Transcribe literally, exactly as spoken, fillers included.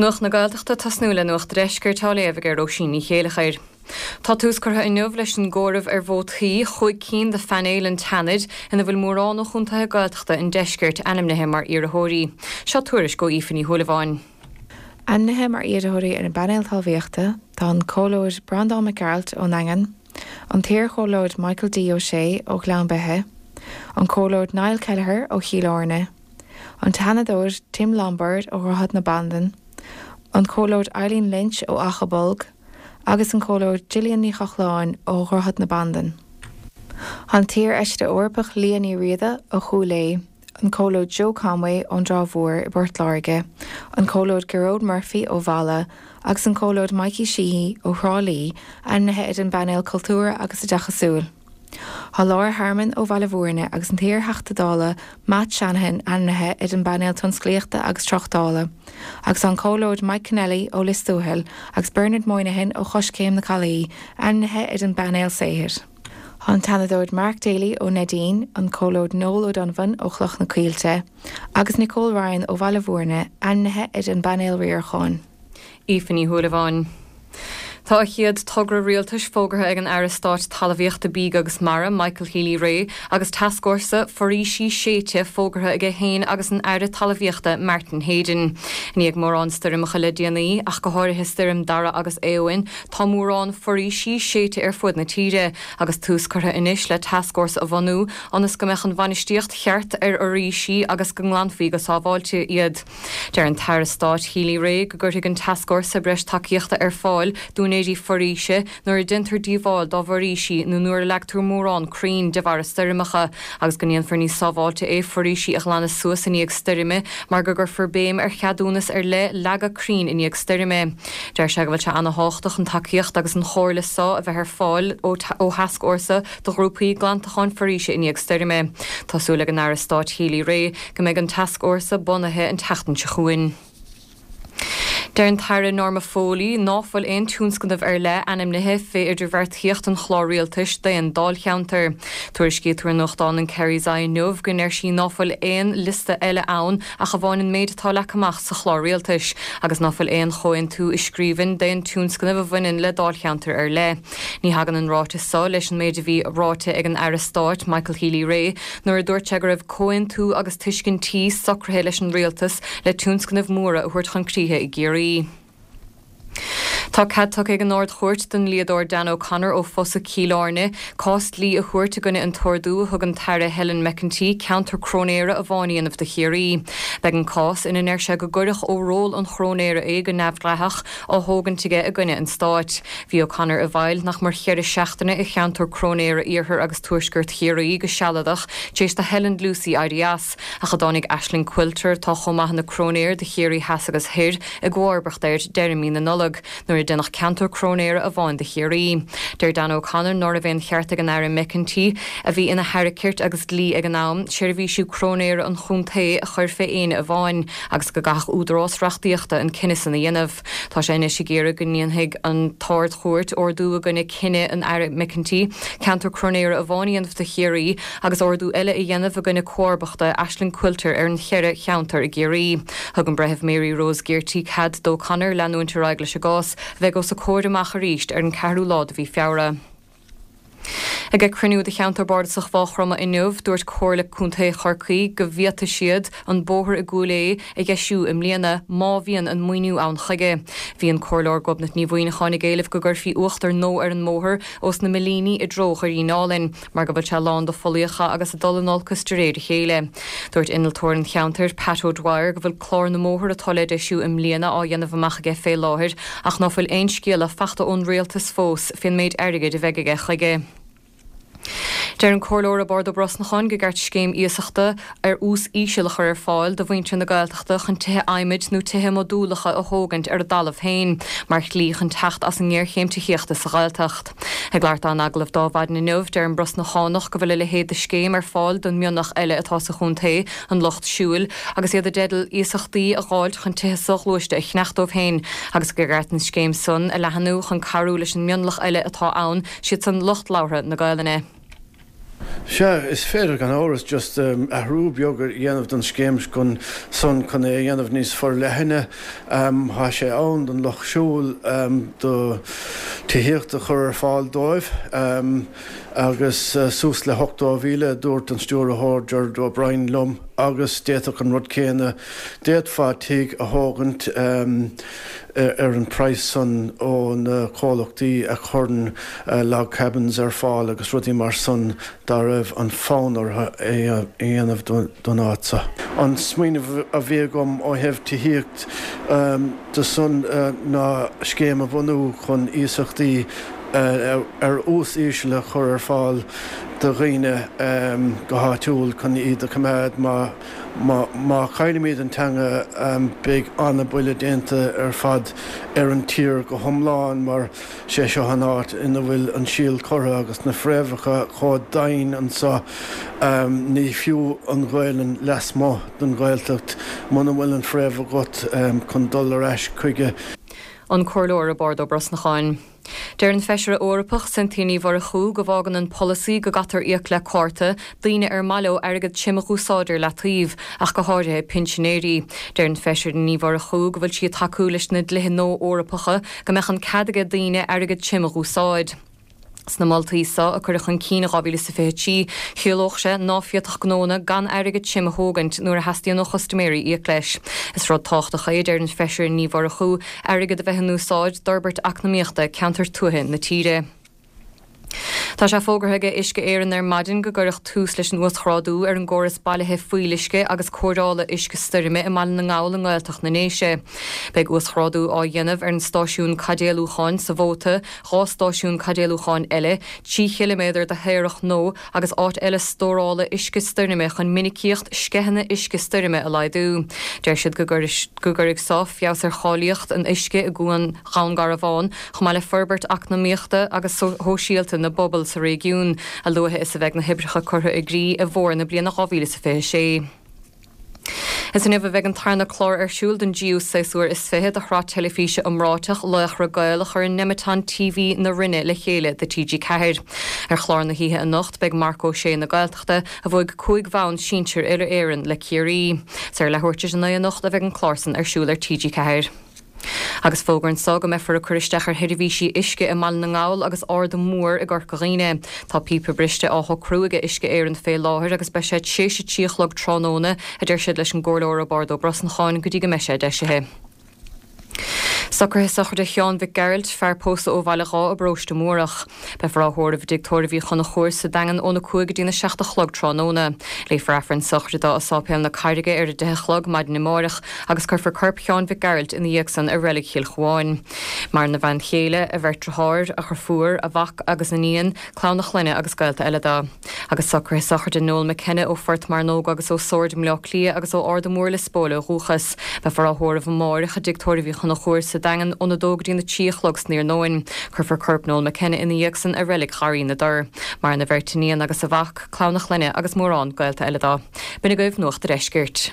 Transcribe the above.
Nuacht na Gaeltachta tosnú le Nuacht an Deiscirt á léamh ag Róisín Ní Chéilleachair. Tá tús curtha inniu leis an gcomhaireamh ar vótaí chúig cinn de phainéal an tSeanaid ina bhfuil mórán ó chontaetha Gaeltachta an deiscirt ainmnithe mar iarrthóirí. Seo tuairisc ó Aoife Ní Shúilleabháin. Ainmnithe mar iarrthóirí ar an bpainéal talmhaíochta tá an Comhairleoir Breandán Mac Gearailt ón nDaingean, an t-iarchomhairleoir Michael D. Ó Sé ó Ghleann Beithe, an Comhairleoir Niall Kelleher ó Chill Airne, an Seanadóir Tim Lombard ó Dhroichead na Bandan, an Comhairleoir Eileen Lynch ó Achadh Bolg, agus an Comhairleoir Gillian Ní Chochláin ó Dhroichead na Bandan. An t-iarfheisire Eorpach Liadh Ní Riada ó Chúil Aodha, an Comhairleoir Joe Conway ón dTrá Mhór i bPort Láirge, an Comhairleoir Gearóid Murphy ó Mhala agus an Comhairleoir Mikey Sheehy ó Thrá Lí ainmnithe ar an bpainéal cultúrtha agus oideachasúil. Tá Laura Harmon ó Bhaile Bhúirne agus an t-iarTheachta Dála Matt Shanahan ainmnithe ar an bpainéal tionsclaíochta agus tráchtála, agus an Comhairleoir Mike Kennelly ó Lios Tuathail agus Bernard Moynihan ó Choiscéim na Caillí ainmnithe ar an bpainéal saothair. Tá an Seanadóir Mark Daly ó Neidín, an Comhairleoir Noel O'Donovan ó Chloch na Coillte, agus Nicole Ryan ó Bhaile Bhúirne ainmnithe ar an bpainéal riaracháin. Aoife Ní Shúilleabháin. Tá a chéad togra rialtais fógartha ag an Aire Stáit Talmhaíochta Bídh agus Mara, Michael Healy-Rae, agus tascfhórsa foraoisí séidte fógartha aige féin agus an Aire Talmhaíochta Martin Heydon. I ndiaidh mórán stoirmeacha le déanaí, ach go háirithe stoirm Dara agus Éowyn, tá mórán foraoisí séidte ar fud na tíre, agus tús curtha anois le tascfhórsa a bhunú ionas go mbeadh an bhainistíocht cheart ar fhoraoisí agus go nglanfaí go sábháilte iad. Deir an tAire Stáit Healy-Rae go gcuirfidh an tascfhórsa breis tacaíochta ar fáil d'úinéirí foraoise nuair a déantar díobháil dá bhforaoisí nó nuair a leagtar mórán crainn de bharr stoirmeacha, agus go ndéanfar níos sábháilte é foraoisí a ghlanadh suas i ndiaidh stoirme mar go gcuirfear béim ar cheadúnas ar leith leagadh crainn i ndiaidh stoirme. Deir sé go bhfuil sé an-tábhachtach an tacaíocht agus an chomhairle so a bheith ar fáil ó thascfhórsa do ghrúpaí glantacháin foraoise i ndiaidh stoirme. Tá súil ag an Aire Stáit Healy-Rae go mbeidh an tascfhórsa bunaithe an tseachtain seo chugainn. Deir an tAire Norma Foley ná fuil aon tionscnamh ar leith ainmnithe fé idirbheartaíocht an chlár rialtais d'aon dáilcheantar. Tuairiscítear i nuachtán an Kerry's Eye inniu go ndeir sí ná fuil aon liosta eile ann ach amháin an méid atá leagtha amach sa chlár rialtais, agus ná fuil aon chomhaontú i scríbhinn d'aon tionscnamh a bhaineann le dáilcheantar ar leith. Ní thagann an ráiteas so leis an méid a bhí ráite ag an Aire Stáit Michael Healy-Rae nuair a dúirt sé go raibh comhaontú agus tuiscintí socraithe leis an rialtas le tionscnaimh mhóra a thabhairt chun críche i gCiarraí. Tá cead tugtha ag an Ard-Chúirt don dlíodóir Dan O'Connor ó Fosadh Chill Airne cás dlí a thabhairt i gcoinne an t-ordú a thug an tAire Helen McEntee ceantar cróinéara amháin a dhéanamh de Chiarraí. Beidh an cás ina ndeir sé go gcuireadh ó ról an chróinéara é go neamhdhleathach á thógaint aige i gcoinne an stáit. Bhí O'Connor i bhfeighil nach mór cheithre seachtaine i cheantar cróinéara iarthar agus tuaisceart Chiarraí go sealadach tar éis do Helen Lucey éirí as, ach a dtáinig Aisling Quilter atá chomh maith ina cróinéir do Chiarraí Theas agus Thoir i gcomharbacht air deireadh mí na Nollag nuair a deineadh ceantar cróinéara amháin de Chiarraí. Deir Dan O'Connor ná raibh aon cheart ag an Aire McEntee, a bhí ina hAire Cirt agus Dlí ag an am, seirbhísí cróinéara an chontae a chur fé éinne amháin, agus go gcaithfeadh údarás reachtaíochta an cinneadh san a dhéanamh. Tá sé anois ag iarraidh go ndéanfaidh an tArd-Chúirt ordú i gcoinne cinneadh an Aire McEntee ceantar cróinéara amháin a dhéanamh de Chiarraí agus ordú eile a dhéanamh i gcoinne comharbachta Aisling Quilter ar an cheithre cheantar i gCiarraí. Thug an Breitheamh Mary Rose Gearty cead d'O'Connor leanúint ar aghaidh leis an gcás, a bheidh os a comhair amach arís ar an ceathrú lá de mhí Feabhra. Ag cruinniú de cheantar bardasach Mhaigh Chromtha inniu, dúirt Comhairle Contae Chorcaí go bhféadfaidh siad an bóthar i gCúil Aodha a dheisiú i mbliana má bhíonn an maoiniú ann chuige. Bhí an Comhairleoir Gobnait Ní Mhuimhneacháin ag éileamh go gcuirfí uachtar nua ar an mbóthar ós na Millíní i dtreo Dhoirí Álainn, mar go bhfuil sé lán de phollaíocha agus ag dul in olcas de réir a chéile. Dúirt innealtóir an cheantair, Pat O'Dwyer, go bhfuil clár na mbóthar atá le deisiú i mbliana á dhéanamh amach aige fé láthair ach ná fuil aon scéala fachta ón rialtas fós fén méid airgid a bheidh aige chuige. Deir an Comhairleoir Roibeárd Ó Brosnacháin go gceart scéim iasachta ar ús íseal a chur ar fáil do mhuintir na Gaeltachta chun tithe adhmaid nó tithe modúlacha a thógaint ar a dtalamh féin mar shlí chun teacht as an ngéarchéim tithíochta sa Ghaeltacht. Ag labhairt dó in agallamh d'Adhmhaidin inniu, deir an Brosnachánach go bhfuil a leithéid de scéim ar fáil don mhionlach eile atá sa chontae, an Lucht Siúil, agus iad i dteideal iasachtaí a dh'fháilt chun tithe soghluaiste a cheannach dóibh féin agus gur cheart an scéim san a leathanú chun cabhrú leis an mionlach eile atá ann, siad san lucht labhartha na Gaelainne. Sea, is féidir gan amhras just um, athrú beag a dhéanamh don scéim chun san chun é a dhéanamh níos forleithne um, tá sé ann don lucht siúil um, do tithíocht a chur ar fáil dóibh um, agus uh, suas le hochtó míle dúirt an stiúrthóir Gerard O'Brien liom agus d'fhéadfadh an rud céanna d'fhéadfá tigh a thógaint um, ar an praghas san ó na comhlachtaí a chuireann uh, log cabins ar fáil agus rudaí mar san dá raibh an fonn orthu é a dhéanamh don áit seo. An smaoineamh a bhí agam ó thaobh tithíocht um, de san uh, ná scéim a bhunú chun iasachtaí uh, ar ús íseal a chur ar fáil do dhaoine um, go háitiúil chun iad a choimeád má má má chaillimid an teanga um, beidh an-bhuille déanta ar fad ar an tír go hiomlán mar sé seo an áit ina bhfuil an síol curtha agus na fréamhacha chomh domhain anseo um, ní fiú an Ghaelainn lasmuigh den Ghaeltacht muna bhfuil an fréamh agat um, chun dul ar ais chuige. An Comhairleoir Roibeárd Ó Brosnacháin. Deir an Feisire Eorpach Cynthia Ní Mhurchú go bhfágann an polasaí go gcaithfear íoc le cárta daoine ar maith leo airgead tirim a úsáid ar leataobh ach go háirithe pinsinéirí. Deir an Feisire Ní Mhurchú go bhfuil sí ag tacú leis na dlíthe nua Eorpacha go mbeadh an cead ag daoine airgead tirim a úsáid. Sna moltaí seo a cuireadh chun cinn dhá mhíle is a fiche trí, chiallódh sé ná féadfadh gnónna gan airgead tirim a thógaint nuair a theastaíonn ó chustaiméirí íoc leis. Is rud tábhachtach é, deir an Feisire Ní Mhurchú, airgead a bheith in úsáid d'fhorbairt eacnamaíochta ceantar tuaithe na tíre. Tá sé fógartha ag Uisce Éireann ar maidin go gcuirfear tús leis an uasghrádú ar an gcóras bailithe fuíolluisce agus cóireála uisce stoirme i mBaile na nGall i nGaeltacht na nDéise. Beidh uasghrádú á dhéanamh ar an stáisiún caidéalúcháin sa Mhóta, dhá stáisiún caidéalúcháin eile, trí chiliméadar de shéarach nua agus áit eile stórála uisce stoirme chun minicíocht sceitheanna uisce stoirme a laghdú. Deir siad go gcuirfidh seo feabhas ar cháilíocht an uisce i gCuan Dhún Garbhán, chomh maith le forbairt eacnamaíochta agus shóisialta na bpobal sa réigiún, a luaithe is a bheidh na hoibreacha curtha i gcrích i bhfómhar na bliana dhá mhíle is a fiche sé. Is inniu a bheidh an tarna clár ar siúl den dtríú séasúr is fiche de shraith teilifíse iomráiteach Laochra Gael a chuireann Nemeton TV na Rinne le chéile do T G ceathair. Ar chlár na hoíche anocht beidh Marc Ó Sé na Gaeltachta a bhuaigh cúig bhonn sinsir uile-Éireann le Ciarraí. Is ar leathuair tar éis a naoi anocht a bheidh an clár san ar siúl ar T G ceathair. Agus fógra anseo go mbeifear ag cur isteach ar sheirbhísí uisce i mBaile na nGall agus Ard Mór i gCorca Dhuibhne. Tá píopa briste á shocrú ag Uisce Éireann fé láthair agus beidh sé tar éis a trí a chlog tráthnóna, a deir siad leis an gComhairleoir Roibeárd Ó Brosnacháin, go dtí go mbeidh sé deisithe. Socruithe sochraide Sheáin Mhic Gearailt, fear pósta ó Bhaile Dháith i bparóiste Múrach. Beifear á thórramh i dTigh Tórraimh Uí Chonchúir sa Daingean óna cúig go dtína seacht a chlog tráthnóna. Léifear Aifreann sochraide dó i Sáipéal na Carraige ar a deich a chlog maidin amáireach agus cuirfear corp Sheáin Mhic Gearailt ina dhiaidh san i Reilig Chill Chuáin. Maireann a bhean chéile, a bheirt deartháir, a dheirfiúr, a mhac agus iníon, clann a chlainne agus gaolta eile dó. Agus socruithe sochraide Noel McKenna ó Phort Mearnóg agus ó Sord i mBleá Cliath agus ó Ard Mór Lios Póil ó dhúchas. Beifear á thórramh amáireach i dTigh Tórraimh Uí Chonchúir sa Daingean óna dó go dtína trí a chlog san iarnóin. Cuirfear corp Noel McKenna ina dhiaidh san i Reilig Gharraí na dTor. Maireann a bheirt iníon agus a mhac, clann a chlainne agus mórán gaolta eile dó. B'in agaibh Nuacht an Deiscirt.